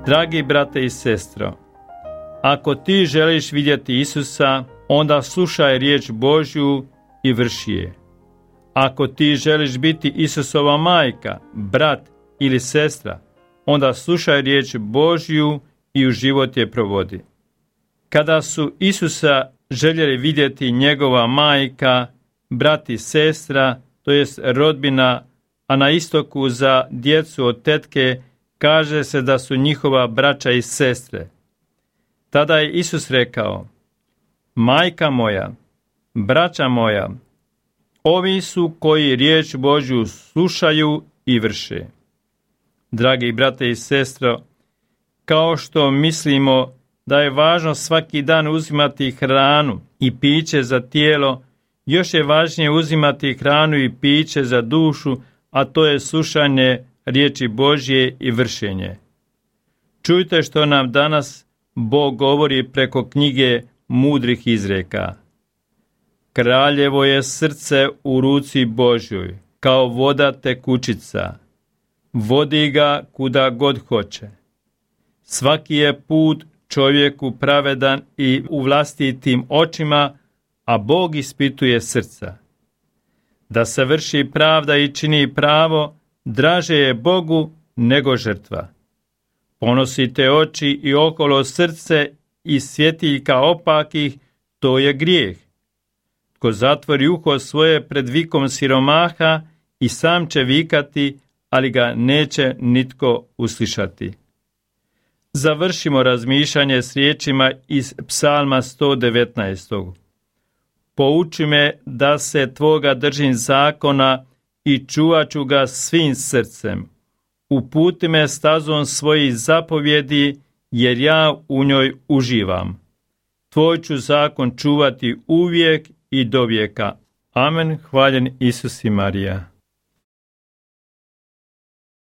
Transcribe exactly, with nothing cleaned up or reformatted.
Dragi brate i sestro, ako ti želiš vidjeti Isusa, onda slušaj riječ Božju i vrši je. Ako ti želiš biti Isusova majka, brat ili sestra, onda slušaj riječ Božju i u život je provodi. Kada su Isusa željeli vidjeti njegova majka, brat i sestra, to jest rodbina, a na istoku za djecu od tetke kaže se da su njihova braća i sestre. Tada je Isus rekao: majka moja, braća moja, ovi su koji riječ Božju slušaju i vrše. Dragi brate i sestro, kao što mislimo da je važno svaki dan uzimati hranu i piće za tijelo, još je važnije uzimati hranu i piće za dušu, a to je slušanje riječi Božje i vršenje. Čujte što nam danas Bog govori preko knjige mudrih izreka. Kraljevo je srce u ruci Božjoj, kao voda tekućica. Vodi ga kuda god hoće. Svaki je put čovjeku pravedan i u vlastitim očima, a Bog ispituje srca. Da se vrši pravda i čini pravo, draže je Bogu nego žrtva. Ponosite oči i okolo srce i svjetiljka opakih, to je grijeh. Tko zatvori uho svoje pred vikom siromaha, i sam će vikati, ali ga neće nitko uslišati. Završimo razmišljanje s riječima iz Psalma sto devetnaest. Pouči me da se tvoga držim zakona i čuvat ću ga svim srcem. Uputi me stazom svojih zapovjedi, jer ja u njoj uživam. Tvoj ću zakon čuvati uvijek i do vijeka. Amen. Hvaljen Isus i Marija.